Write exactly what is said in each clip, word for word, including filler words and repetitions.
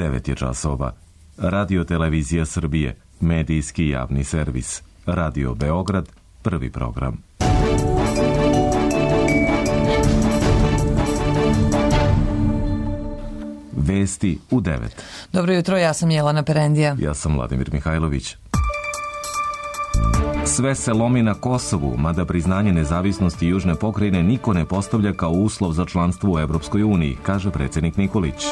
devet je časova. Radio Televizija Srbije, medijski javni servis. Radio Beograd, prvi program. Vesti u devet. Dobro jutro, ja sam Jelena Perendija. Ja sam Vladimir Mihajlović. Sve se lomi na Kosovu, mada priznanje nezavisnosti južne pokrajine niko ne postavlja kao uslov za članstvo u Evropskoj uniji, kaže predsjednik Nikolić.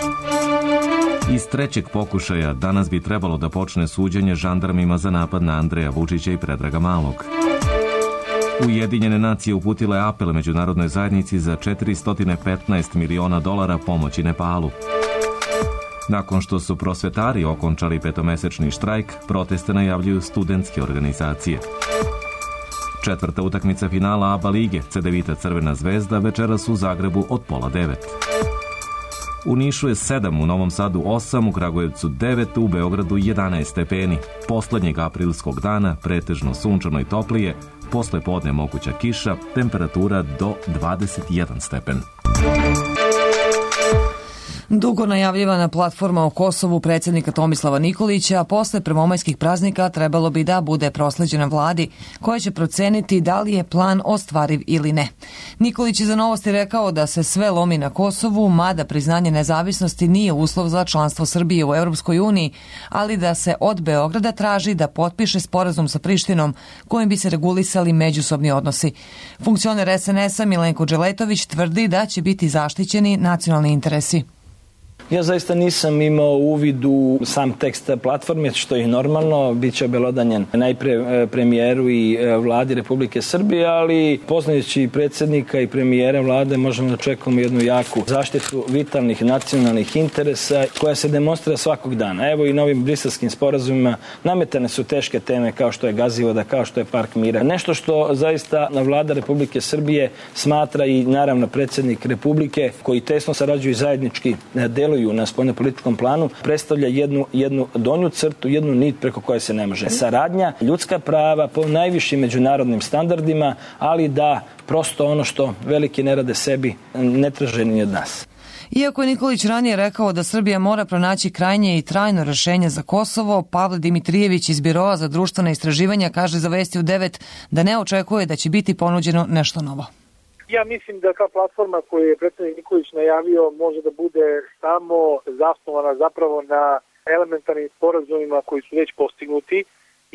Iz trećeg pokušaja danas bi trebalo da počne suđenje žandarmima za napad na Andreja Vučića i Predraga Malog. Ujedinjene nacije uputile apel međunarodnoj zajednici za četiristo petnaest miliona dolara pomoći Nepalu. Nakon što su prosvetari okončali petomesečni štrajk, proteste najavljuju studentske organizacije. Četvrta utakmica finala A B A lige, Cedevita Crvena zvezda, večeras u Zagrebu od pola devet. U Nišu je sedam, u Novom Sadu osam, u Kragujevcu devet, u Beogradu jedanaest stepeni. Poslednjeg aprilskog dana pretežno sunčano i toplije, posle podne moguća kiša, temperatura do dvadeset jedan stepen. Dugo najavljivana platforma o Kosovu predsjednika Tomislava Nikolića posle prvomajskih praznika trebalo bi da bude prosleđena vladi, koja će proceniti da li je plan ostvariv ili ne. Nikolić je za Novosti rekao da se sve lomi na Kosovu, mada priznanje nezavisnosti nije uslov za članstvo Srbije u Evropskoj uniji, ali da se od Beograda traži da potpiše sporazum sa Prištinom kojim bi se regulisali međusobni odnosi. Funkcioner es en es a Milenko Dželetović tvrdi da će biti zaštićeni nacionalni interesi. Ja zaista nisam imao uvid u sam tekst platforme, što je normalno, bit će obelodanjen najpre premijeru i vladi Republike Srbije, ali poznajući predsjednika i premijera vlade možemo da očekujemo jednu jaku zaštitu vitalnih nacionalnih interesa koja se demonstrira svakog dana. Evo i novim briselskim sporazumima nametane su teške teme kao što je Gazivoda, kao što je Park mira. Nešto što zaista vlada Republike Srbije smatra i naravno predsjednik Republike koji tesno sarađuju i zajednički deluju na spoljnopolitičkom planu, predstavlja jednu, jednu donju crtu, jednu nit preko koje se ne može. Saradnja, ljudska prava po najvišim međunarodnim standardima, ali da prosto ono što veliki ne rade sebi ne traže ni od nas. Iako je Nikolić ranije rekao da Srbija mora pronaći krajnje i trajno rešenje za Kosovo, Pavle Dimitrijević iz Biroa za društvena istraživanja kaže za Vesti u devet da ne očekuje da će biti ponuđeno nešto novo. Ja mislim da ta platforma koju je predsjednik Nikolić najavio može da bude samo zasnovana zapravo na elementarnim sporazumima koji su već postignuti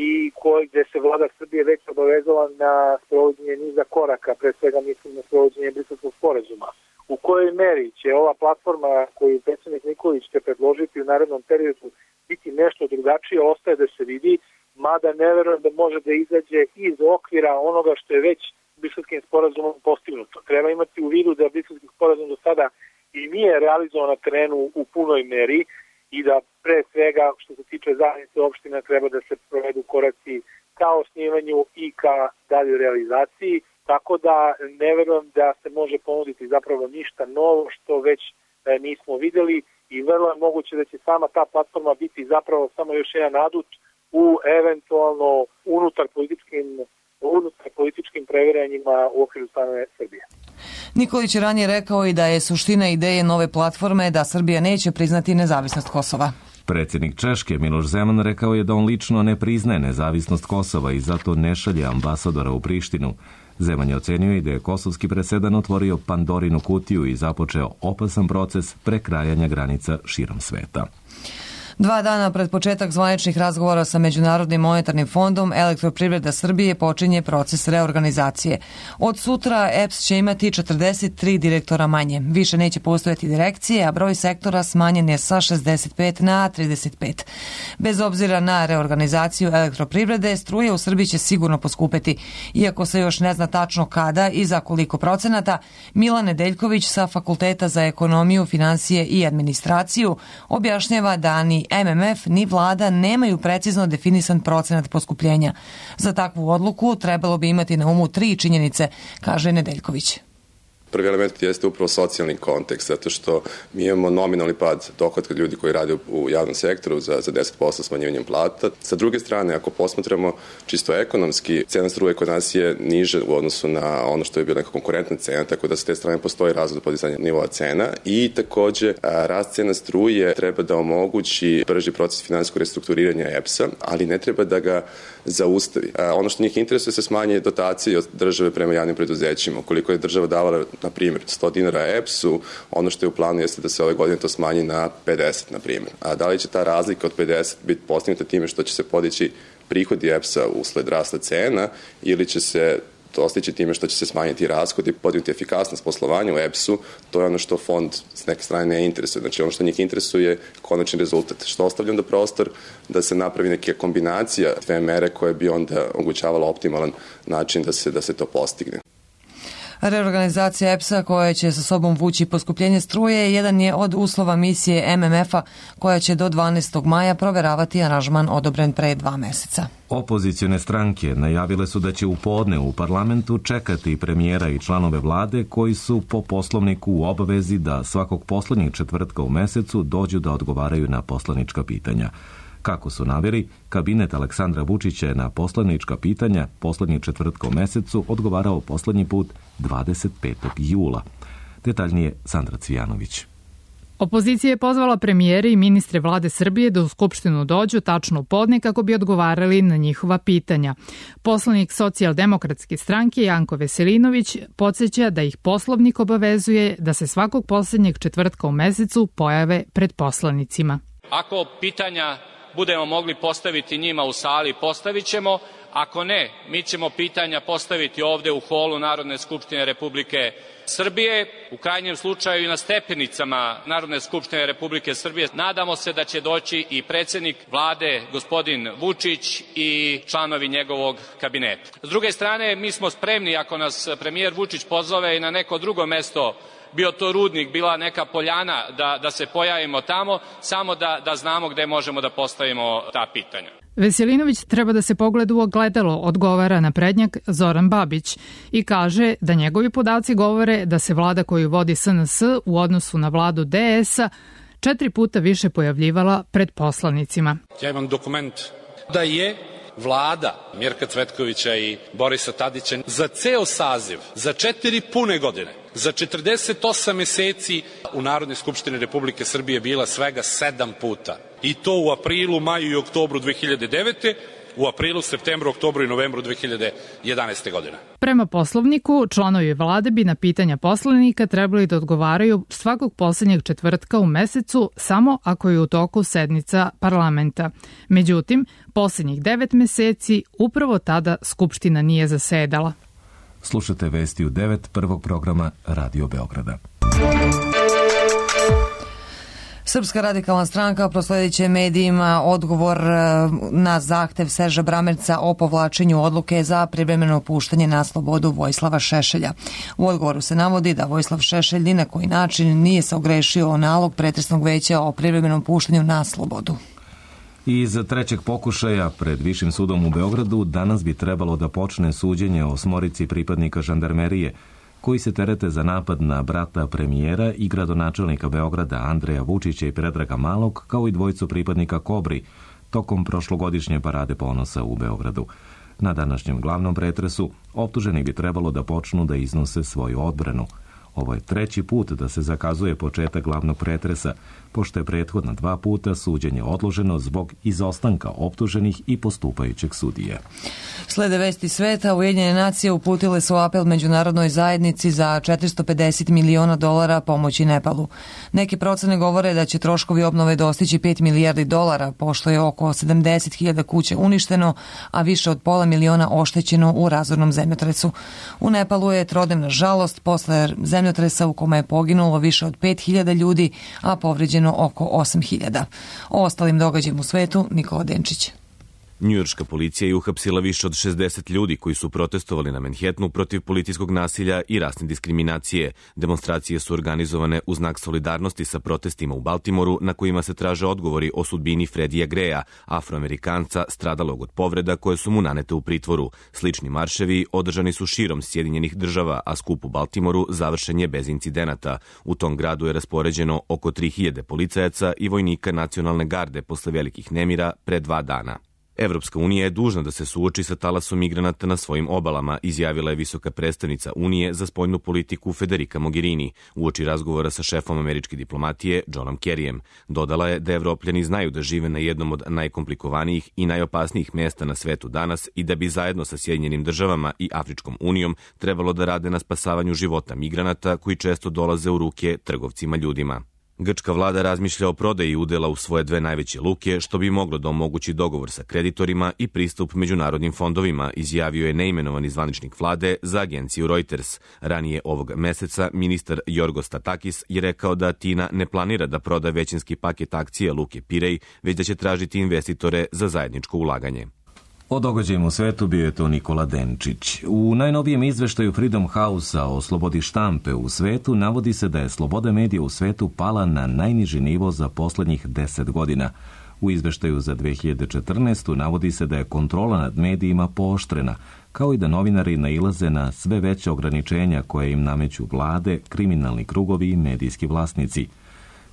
i koji, gde se vlada Srbije već obavezala na sprovođenje niza koraka, pre svega mislim na sprovođenje Briselskog sporazuma. U kojoj meri će ova platforma koju predsjednik Nikolić će predložiti u narednom periodu biti nešto drugačije, ostaje da se vidi, mada ne verujem da može da izađe iz okvira onoga što je već Briselskim sporazumom postignuto. Treba imati u vidu da Briselski sporazum do sada i nije realizovan na terenu u punoj meri i da pre svega što se tiče zajednice opština treba da se provedu koraci ka osnivanju i ka daljoj realizaciji, tako da ne verujem da se može ponuditi zapravo ništa novo što već nismo videli i vrlo je moguće da će sama ta platforma biti zapravo samo još jedan adut u eventualno unutar političkim unutar političkim previranjima u okviru same Srbije. Nikolić je ranije rekao i da je suština ideje nove platforme da Srbija neće priznati nezavisnost Kosova. Predsjednik Češke Miloš Zeman rekao je da on lično ne priznaje nezavisnost Kosova i zato ne šalje ambasadora u Prištinu. Zeman je ocenio i da je kosovski presedan otvorio Pandorinu kutiju i započeo opasan proces prekrajanja granica širom sveta. Dva dana pred početak zvaničnih razgovora sa Međunarodnim monetarnim fondom, Elektroprivreda Srbije počinje proces reorganizacije. Od sutra E P S će imati četrdeset tri direktora manje. Više neće postojati direkcije, a broj sektora smanjen je sa šezdeset pet na trideset pet. Bez obzira na reorganizaciju elektroprivrede, struje u Srbiji će sigurno poskupeti. Iako se još ne zna tačno kada i za koliko procenata, Milan Nedeljković sa Fakulteta za ekonomiju, finansije i administraciju objašnjava da ni M M F ni vlada nemaju precizno definisan procenat poskupljenja. Za takvu odluku trebalo bi imati na umu tri činjenice, kaže Nedeljković. Prvi element jeste upravo socijalni kontekst, zato što mi imamo nominalni pad dohotka ljudi koji rade u javnom sektoru za, za deset posto smanjivanjem plata. Sa druge strane, ako posmatramo čisto ekonomski, cena struje kod nas je niže u odnosu na ono što je bila neka konkurentna cena, tako da sa te strane postoji razlog do podizanja nivoa cena i takođe rast cena struje treba da omogući brži proces finansijskog restrukturiranja E P S-a, ali ne treba da ga zaustavi. Ono što njih interesuje se smanje dotacije od države prema javnim preduzećima. Ukoliko je država davala, na primjer, sto dinara E P S-u, ono što je u planu jeste da se ove godine to smanji na pedeset, na primjer. A da li će ta razlika od pedeset biti postignuta time što će se podići prihodi E P S-a usled rasta cena ili će se dostići time što će se smanjiti rashodi i podignuti efikasnost poslovanja u E P S-u, to je ono što fond s neke strane ne interesuje. Znači ono što njih interesuje je konačni rezultat. Što ostavlja onda prostor da se napravi neka kombinacija dve mere koje bi onda omogućavala optimalan način da se, da se to postigne. Reorganizacija E P S-a koja će sa sobom vući poskupljenje struje jedan je od uslova misije M M F-a koja će do dvanaestog maja proveravati aranžman odobren pre dva meseca. Opozicione stranke najavile su da će u podne u parlamentu čekati premijera i članove vlade koji su po poslovniku u obavezi da svakog poslednjeg četvrtka u mesecu dođu da odgovaraju na poslanička pitanja. Kako su naveli, kabinet Aleksandra Vučića je na poslanička pitanja poslednjeg četvrtka u mesecu odgovarao poslednji put dvadeset petog jula. Detaljnije Sandra Cvijanović. Opozicija je pozvala premijere i ministre vlade Srbije da u Skupštinu dođu tačno u podne kako bi odgovarali na njihova pitanja. Poslanik Socijaldemokratske stranke Janko Veselinović podsjeća da ih poslovnik obavezuje da se svakog poslednjeg četvrtka u mesecu pojave pred poslanicima. Ako pitanja budemo mogli postaviti njima u sali, postavit ćemo. Ako ne, mi ćemo pitanja postaviti ovde u holu Narodne skupštine Republike Srbije, u krajnjem slučaju i na stepenicama Narodne skupštine Republike Srbije. Nadamo se da će doći i predsednik vlade, gospodin Vučić, i članovi njegovog kabineta. S druge strane, mi smo spremni, ako nas premijer Vučić pozove i na neko drugo mesto, bio to Rudnik, bila neka Poljana, da, da se pojavimo tamo, samo da, da znamo gde možemo da postavimo ta pitanja. Veselinović treba da se pogleda u ogledalo, odgovara na prednjak Zoran Babić i kaže da njegovi podaci govore da se vlada koju vodi S N S u odnosu na vladu D S-a četiri puta više pojavljivala pred poslanicima. Ja imam dokument da je vlada Mirka Cvetkovića i Borisa Tadića za ceo saziv, za četiri pune godine, za četrdeset osam meseci u Narodnoj skupštini Republike Srbije bila svega sedam puta. I to u aprilu, maju i oktobru dve hiljade devete, u aprilu, septembru, oktobru i novembru dve hiljade jedanaeste. godine. Prema poslovniku, članovi vlade bi na pitanja poslanika trebali da odgovaraju svakog poslednjeg četvrtka u mesecu samo ako je u toku sednica parlamenta. Međutim, poslednjih devet meseci upravo tada Skupština nije zasedala. Slušate vesti u devet prvog programa Radio Beograda. Srpska radikalna stranka prosledit će medijima odgovor na zahtev Serža Bramerca o povlačenju odluke za privremeno puštanje na slobodu Vojislava Šešelja. U odgovoru se navodi da Vojislav Šešelj ni na koji način nije se ogrešio o nalog pretresnog veća o privremenom puštanju na slobodu. Iz trećeg pokušaja pred Višim sudom u Beogradu danas bi trebalo da počne suđenje o osmorici pripadnika žandarmerije koji se terete za napad na brata premijera i gradonačelnika Beograda Andreja Vučića i Predraga Malog, kao i dvojicu pripadnika Kobri, tokom prošlogodišnje parade ponosa u Beogradu. Na današnjem glavnom pretresu optuženi bi trebalo da počnu da iznose svoju odbranu. Ovo je treći put da se zakazuje početak glavnog pretresa, pošto je prethodna dva puta suđenje odloženo zbog izostanka optuženih i postupajućeg sudije. Slede vesti sveta, Ujedinjene nacije uputile su apel međunarodnoj zajednici za četiristo pedeset miliona dolara pomoći Nepalu. Neke procene govore da će troškovi obnove dostići pet milijardi dolara, pošto je oko sedamdeset hiljada kuća uništeno, a više od pola miliona oštećeno u razornom zemljotresu. U Nepalu je trodnevna žalost posle zemljotresa u kome je poginulo više od pet hiljada ljudi, a povređeno oko osam hiljada. O ostalim događajima u svetu Nikola Denčić. Njujorška policija je uhapsila više od šezdeset ljudi koji su protestovali na Manhattanu protiv policijskog nasilja i rasne diskriminacije. Demonstracije su organizovane u znak solidarnosti sa protestima u Baltimoru na kojima se traže odgovori o sudbini Freddija Greya, Afroamerikanca stradalog od povreda koje su mu nanete u pritvoru. Slični marševi održani su širom Sjedinjenih država, a skup u Baltimoru završen je bez incidenata. U tom gradu je raspoređeno oko tri hiljade policajaca i vojnika nacionalne garde posle velikih nemira pre dva dana. Evropska unija je dužna da se suoči sa talasom migranata na svojim obalama, izjavila je visoka predstavnica Unije za spoljnu politiku Federica Mogherini uoči razgovora sa šefom američke diplomatije Johnom Kerryjem. Dodala je da Evropljani znaju da žive na jednom od najkomplikovanijih i najopasnijih mesta na svetu danas i da bi zajedno sa Sjedinjenim državama i Afričkom unijom trebalo da rade na spasavanju života migranata koji često dolaze u ruke trgovcima ljudima. Grčka vlada razmišlja o prodaji udela u svoje dve najveće luke, što bi moglo da omogući dogovor sa kreditorima i pristup međunarodnim fondovima, izjavio je neimenovani zvaničnik vlade za agenciju Reuters. Ranije ovog meseca ministar Jorgos Statakis je rekao da Atina ne planira da proda većinski paket akcija luke Pirej, već da će tražiti investitore za zajedničko ulaganje. O događajima u svetu bio je to Nikola Denčić. U najnovijem izveštaju Freedom House-a o slobodi štampe u svetu navodi se da je sloboda medija u svetu pala na najniži nivo za poslednjih deset godina. U izveštaju za dve hiljade četrnaestu. navodi se da je kontrola nad medijima pooštrena, kao i da novinari nailaze na sve veće ograničenja koje im nameću vlade, kriminalni krugovi i medijski vlasnici.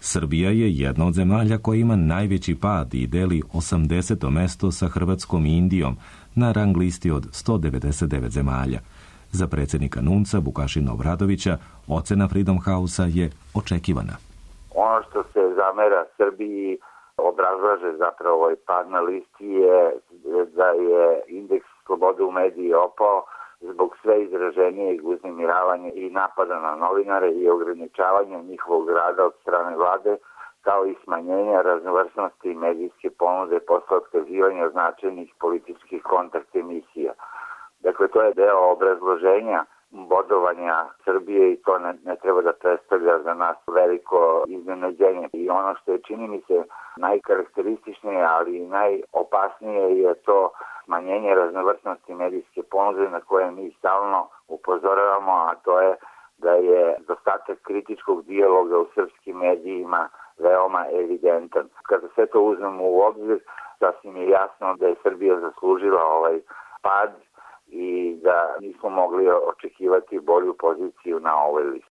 Srbija je jedna od zemalja koja ima najveći pad i deli osamdeseto mesto sa Hrvatskom i Indijom na rang listi od sto devedeset devet zemalja. Za predsjednika NUNC-a Vukašina Obradovića ocena Freedom House-a je očekivana. Ono što se zamera Srbiji obrazlaže zapravo ovaj pad na listi je da je indeks slobode u mediji opao zbog sve izraženijeg uznemiravanja i napada na novinare i ograničavanja njihovog rada od strane vlade, kao i smanjenja raznovrsnosti medijske ponude posle otkazivanja značajnih političkih kontakt emisija. Dakle, to je deo obrazloženja bodovanja Srbije i to ne, ne treba da predstavlja za nas veliko iznenađenje. I ono što je, čini mi se, najkarakterističnije, ali i najopasnije je to smanjenje raznovrsnosti medijske ponude na koje mi stalno upozoravamo, a to je da je dostatak kritičkog dijaloga u srpskim medijima veoma evidentan. Kada sve to uzmemo u obzir, sasvim je jasno da je Srbija zaslužila ovaj pad i da nismo mogli očekivati bolju poziciju na ovoj listi.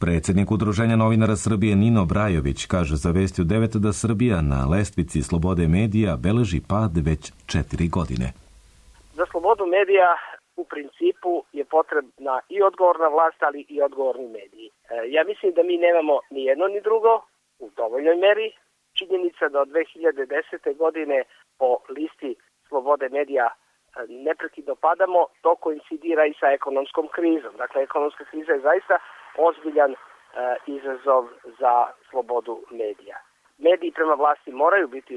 Predsjednik Udruženja novinara Srbije Nino Brajović kaže za Vesti u devet da Srbija na lestvici slobode medija beleži pad već četiri godine. Za slobodu medija u principu je potrebna i odgovorna vlast, ali i odgovorni mediji. Ja mislim da mi nemamo ni jedno ni drugo u dovoljnoj meri. Činjenica da od dve hiljade desete. godine po listi slobode medija neprekidno padamo, to koincidira i sa ekonomskom krizom. Dakle, ekonomska kriza je zaista ozbiljan e, izazov za slobodu medija. Mediji prema vlasti moraju biti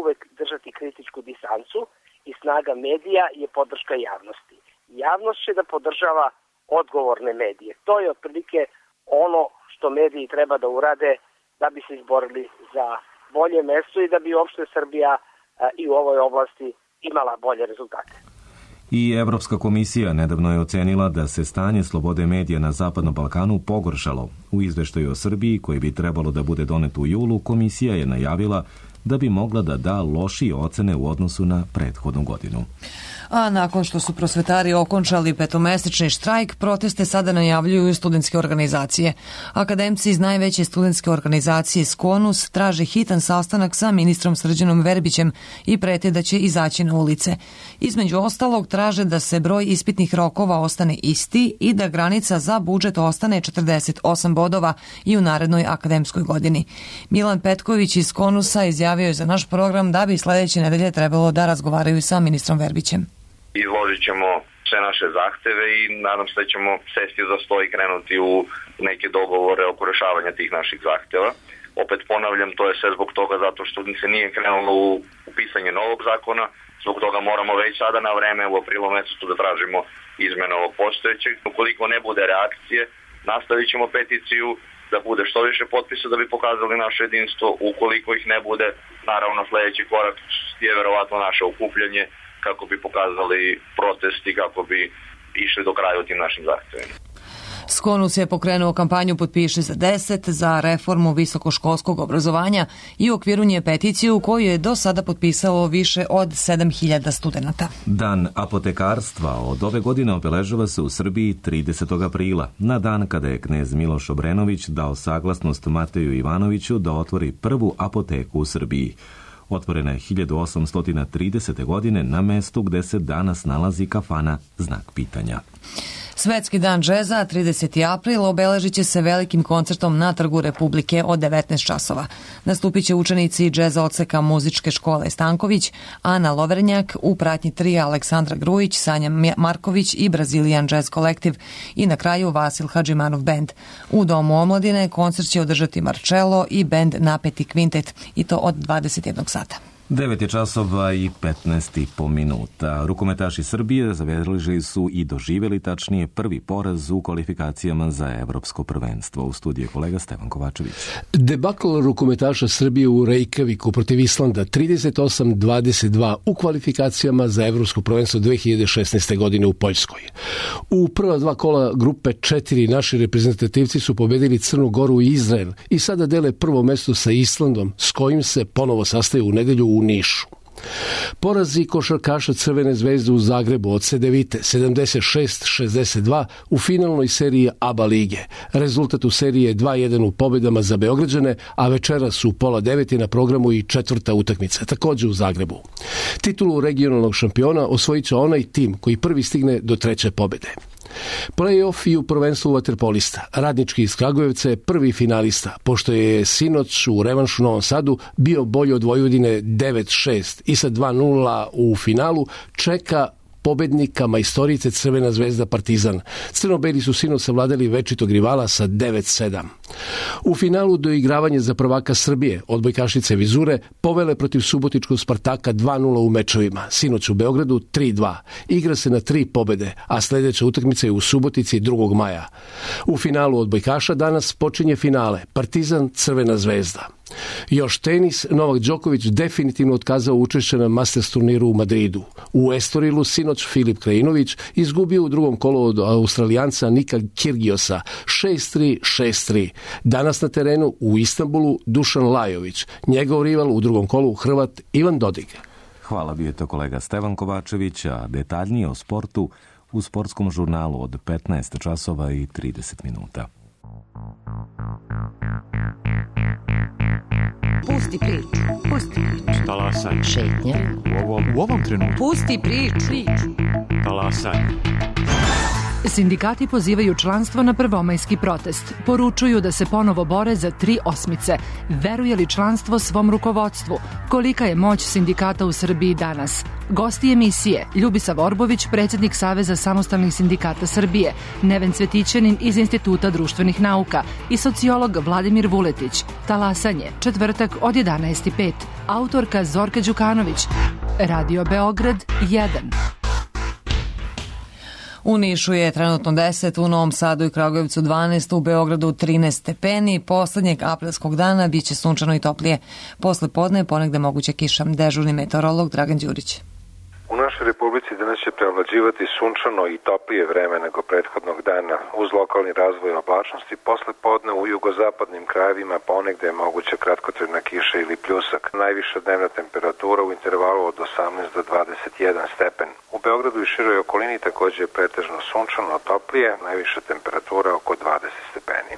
uvek držati kritičku distancu i snaga medija je podrška javnosti. Javnost će da podržava odgovorne medije. To je otprilike ono što mediji treba da urade da bi se izborili za bolje mesto i da bi uopšte Srbija e, i u ovoj oblasti imala bolje rezultate. I Evropska komisija nedavno je ocenila da se stanje slobode medija na Zapadnom Balkanu pogoršalo. U izveštaju o Srbiji, koji bi trebalo da bude donet u julu, komisija je najavila da bi mogla da da lošije ocene u odnosu na prethodnu godinu. A nakon što su prosvetari okončali petomesečni štrajk, proteste sada najavljuju studentske organizacije. Akademci iz najveće studentske organizacije Skonus traže hitan sastanak sa ministrom Srđanom Verbićem i prete da će izaći na ulice. Između ostalog traže da se broj ispitnih rokova ostane isti i da granica za budžet ostane četrdeset osam bodova i u narednoj akademskoj godini. Milan Petković iz Skonusa izjavio je za naš program da bi sledeće nedelje trebalo da razgovaraju sa ministrom Verbićem. Izložit ćemo sve naše zahteve i nadam se da ćemo sesti za sto i krenuti u neke dogovore oko rešavanja tih naših zahteva. Opet ponavljam, to je sve zbog toga zato što se nije krenulo u pisanje novog zakona, zbog toga moramo već sada na vreme u aprilu mesecu da tražimo izmene ovog postojećeg. Ukoliko ne bude reakcije, nastavit ćemo peticiju da bude što više potpisa da bi pokazali naše jedinstvo. Ukoliko ih ne bude, naravno sledeći korak je verovatno naše okupljanje kako bi pokazali protest i kako bi išli do kraja u tim našim zahtevima. Skonus je pokrenuo kampanju Potpiši za deset za reformu visokoškolskog obrazovanja i u okviru nje peticiju koju je do sada potpisalo više od sedam hiljada studenta. Dan apotekarstva od ove godine obeležava se u Srbiji tridesetog aprila, na dan kada je knez Miloš Obrenović dao saglasnost Mateju Ivanoviću da otvori prvu apoteku u Srbiji. Otvorena je hiljadu osamsto tridesete. godine na mestu gde se danas nalazi kafana Znak pitanja. Svetski dan džeza, trideseti april, obeležit će se velikim koncertom na Trgu Republike od devetnaest časova. Nastupit će učenici džeza odseka Muzičke škole Stanković, Ana Lovernjak, u pratnji trija Aleksandra Grujić, Sanja Marković i Brazilian Jazz Kolektiv i na kraju Vasil Hadžimanov bend. U Domu omladine koncert će održati Marcello i bend Napeti kvintet i to od dvadeset jednog sata. devet je časova i petnaest i po minuta. Rukometaši Srbije zabeležili su i doživjeli tačnije prvi poraz u kvalifikacijama za evropsko prvenstvo. U studiju kolega Stevan Kovačević. Debakl rukometaša Srbije u Reykjaviku protiv Islanda trideset osam dvadeset dva u kvalifikacijama za evropsko prvenstvo dve hiljade šesnaeste. godine u Poljskoj. U prva dva kola grupe četiri naši reprezentativci su pobedili Crnu Goru i Izrael i sada dele prvo mesto sa Islandom s kojim se ponovo sastaju u nedelju u Nišu. Porazi košarkaša Crvene zvezde u Zagrebu od Cedevite sedamdeset šest šezdeset dva u finalnoj seriji A B A lige. Rezultat u seriji je dva jedan u pobedama za Beograđane, a večeras u pola devet je na programu i četvrta utakmica, takođe u Zagrebu. Titulu regionalnog šampiona osvojit će onaj tim koji prvi stigne do treće pobede. Play-off i u prvenstvu vaterpolista. Radnički iz Kragujevca je prvi finalista, pošto je sinoć u revanšu u Novom Sadu bio bolji od Vojvodine devet šest i sa dva nula u finalu čeka pobednika majstorice Crvena zvezda Partizan. Crnobeli su sinoć savladali večitog rivala sa devet sedam. U finalu doigravanje za prvaka Srbije odbojkašice Vizure povele protiv subotičkog Spartaka dva nula u mečevima. Sinoć u Beogradu tri dva. Igra se na tri pobede, a sledeća utakmica je u Subotici drugog maja. U finalu odbojkaša danas počinje finale Partizan Crvena zvezda. Još tenis, Novak Đoković definitivno otkazao učešće na Masters turniru u Madridu. U Estorilu sinoć Filip Krajinović izgubio u drugom kolu od Australijanca Nika Kirgiosa šest tri šest tri. Danas na terenu u Istanbulu Dušan Lajović, njegov rival u drugom kolu Hrvat Ivan Dodig. Hvala, bio je to kolega Stevan Kovačević, a detaljnije o sportu u sportskom žurnalu od petnaest časova i trideset minuta. Pusti priču, pusti priču. Talasaj. Šetnja. U ovom, u ovom trenutku. Pusti priču. priču. Talasaj. Sindikati pozivaju članstvo na prvomajski protest. Poručuju da se ponovo bore za tri osmice. Veruje li članstvo svom rukovodstvu? Kolika je moć sindikata u Srbiji danas? Gosti emisije: Ljubisav Orbović, predsjednik Saveza samostalnih sindikata Srbije, Neven Cvetićanin iz Instituta društvenih nauka i sociolog Vladimir Vuletić. Talasanje, četvrtak od jedanaest i pet. Autorka Zorka Đukanović. Radio Beograd jedan. U Nišu je trenutno deset, u Novom Sadu i Kragujevcu dvanaest, u Beogradu trinaest stepeni. Poslednjeg aprilskog dana biće sunčano i toplije. Posle podne ponegde moguća kiša. Dežurni meteorolog Dragan Đurić. U našoj Republici danas će prevlađivati sunčano i toplije vreme nego prethodnog dana, uz lokalni razvoj oblačnosti. Posle podne u jugozapadnim krajevima ponegde je moguća kratkotrajna kiša ili pljusak. Najviša dnevna temperatura u intervalu od osamnaest do dvadeset jedan stepen. U Beogradu i široj okolini takođe je pretežno sunčano toplije, najviša temperatura oko dvadeset stepeni.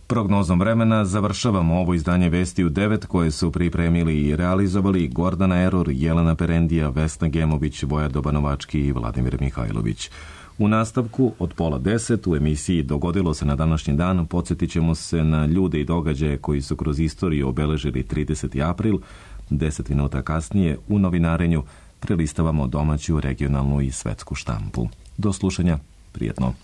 Prognozom vremena završavamo ovo izdanje Vesti u devet koje su pripremili i realizovali Gordana Eror, Jelena Perendija, Vesna Gemović, Voja Dobanovački i Vladimir Mihajlović. U nastavku od pola deset u emisiji Dogodilo se na današnji dan podsjetit ćemo se na ljude i događaje koji su kroz istoriju obeležili trideseti april. Deset minuta kasnije u novinarenju prelistavamo domaću, regionalnu i svetsku štampu. Do slušanja, prijetno.